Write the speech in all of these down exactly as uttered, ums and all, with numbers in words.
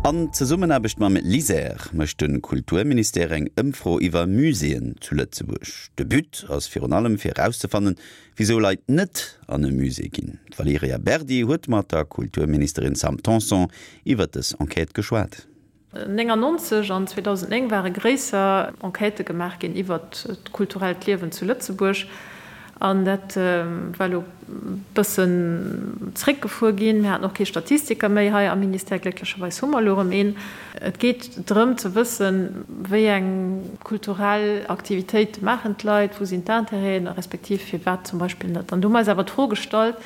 An Zesummenaarbecht mam LISER mécht de Kulturministère eng Ëmfro iwwer Muséeën zu Lëtzebuerg. De But ass virun allem fir erauszefannen, wisou Leit net an e Musée ginn. D'Valerija Berdi huet mat der Kulturministerin Sam Tanson iwwer dës Enquête geschwat. Néngannonzeg an zweedausendnéng ware gréisser Enquêtë gemaach ginn iwwert d'kulturellt Liewen zu Lëtzebuerg. An dat war elo e bëssen zréckgefuer ginn. Mir haten och kee Statistiker méi hei am Ministère. Glécklecherweis hu mer elo erëm een. Et geet drëm ze wëssen, wéi eng kulturell Aktivitéite maachen d'Leit, wou sinn d'Intérêten, respektiv firwat zum Beispill net. An du hu mer eis awer d'Fro gestallt,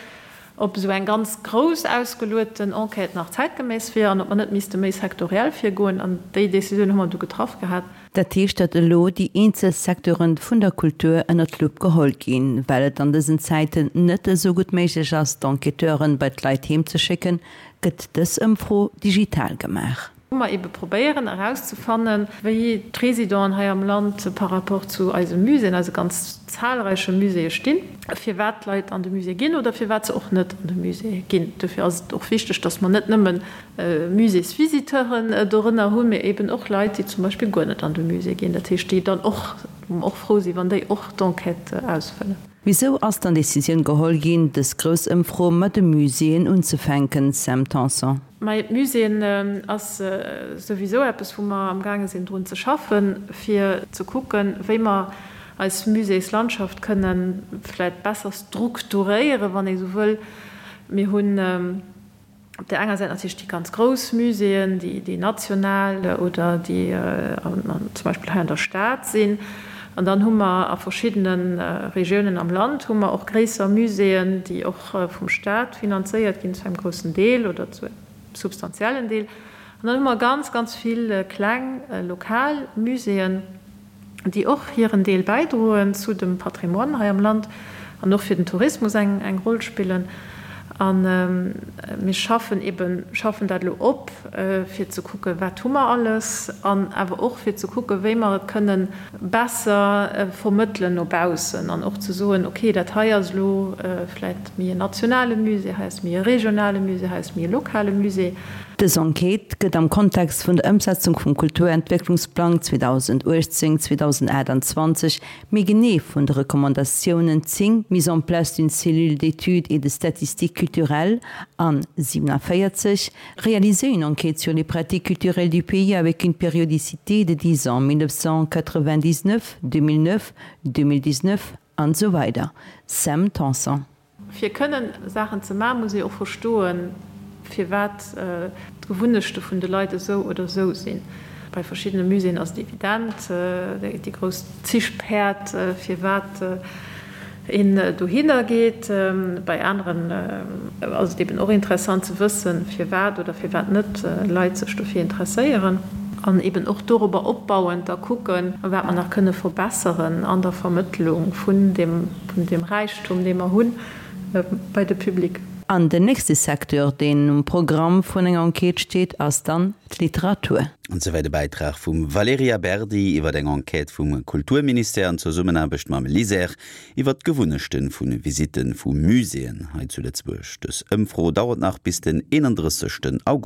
ob esou eng ganz grouss ausgelueten Enquête nach zäitgeméiss wier an ob mer net misste méi sektoriell virgoen. An déi Décisioun hu mer du getraff gehat. Dat heescht, datt elo déi eenzel Secteure vun der Kultur ënnert d'Lupp geholl ginn. Well et an dësen Zäiten net esou gutt méiglech ass, d'Enquêteuren bei d'Leit heem ze schécken, gëtt dës Ëmfro digital gemaach. Wou mer ebe probéieren erauszefannen, wéi d'Résidenten hei am Land par rapport zu eise Muséeën, eise ganz zahlreiche Muséeë stinn, firwat d'Leit an de Musée ginn oder firwat se och net an de Musée ginn. Dofir ass et och wichteg, dass mer net nëmme Muséesvisiteuren dorënner hunn, mee eben och Leit, déi zum Beispill guer net an de Musée ginn, dat heescht, déi dann och, wou mer och frou sinn, wann déi och d'Enquête ausfëllen. Wisou ass dann d'Decisioun geholl ginn, dës grouss Ëmfro mat de Muséeën unzefänken, Sam Tanson? Majo, d'Muséeën ass souwisou eppes, wou mer amgaange sinn drun ze schaffen, fir ze kucken, wéi mer eis Muséeslandschaft kënne vläicht besser strukturéieren, wann ee sou wëll. Mir hunn op där enger Säit natierlech déi ganz grouss Muséeën, déi national oder déi zum Beispill hei an der Stad sinn. An dann hu mer a verschiddene Regiounen am Land hu mer och gréisser Muséeën, déi och vum Stat finanzéiert ginn, zu engem groussen Deel oder zu engem substantiellen Deel. An dann hu mer ganz, ganz vill kleng lokal Muséeën, déi och hiren Deel bäidroen zu dem Patrimoine hei am Land an och fir den Tourismus eng eng Roll spillen. A mir schaffen eben, schaffen dat elo op, fir ze kucken, wat hu mer alles, an awer och fir ze kucken, wéi mer et kënnen besser vermëttelen no baussen an och ze soen, okay, dat hei ass elo vläicht méi en nationale Musée, hei ass méi e regionale Musée, hei ass méi e lokale Musée. Dës Enquête gëtt am Kontext vun der Ëmsetzung vum Kulturentwécklungsplang zweedausenduechtzéng zweedausenachtundzwanzeg méi genee vun de Recommandatiounen zéng, Mise en place d'une cellule d'études et de statistiques culturelles, an siewenundvierzig, Réaliser une enquête sur les pratiques culturelles du pays avec une périodicité de dix ans, mille neuf cent quatre-vingt-dix-neuf, deux mille neuf, deux mille dix-neuf, an esou weider. Sam Tanson. Fir kënnen Saachen ze maachen, muss ee och verstoen, firwat d'Gewunnechte vun de Leit esou oder esou sinn. Bei verschiddene Muséeën ass et evident, déi grouss Zich-Päerd, firwat een dohinner geet. Bei aneren ass et eben och interessant ze wëssen, firwat oder firwat net Leit sech dofir interesséieren. An eben och dorobber opbauend da kucken, wat mer nach kënne verbesseren an der Vermëttlung vun deem Räichtum, dee mer hunn, bei de Public. An den nächste Secteur, deen um Programm vun enger Enquête steet, ass dann d'Literatur. An souwäit e Bäitrag vum Valerija Berdi iwwer eng Enquête vum Kulturministère an Zesummenaarbecht mam LISER iwwer d'Gewunnechte vu Visitte vu Muséeën hei zu Lëtzebuerg. Dës Ëmfro dauert nach bis den eenandrëssegsten August.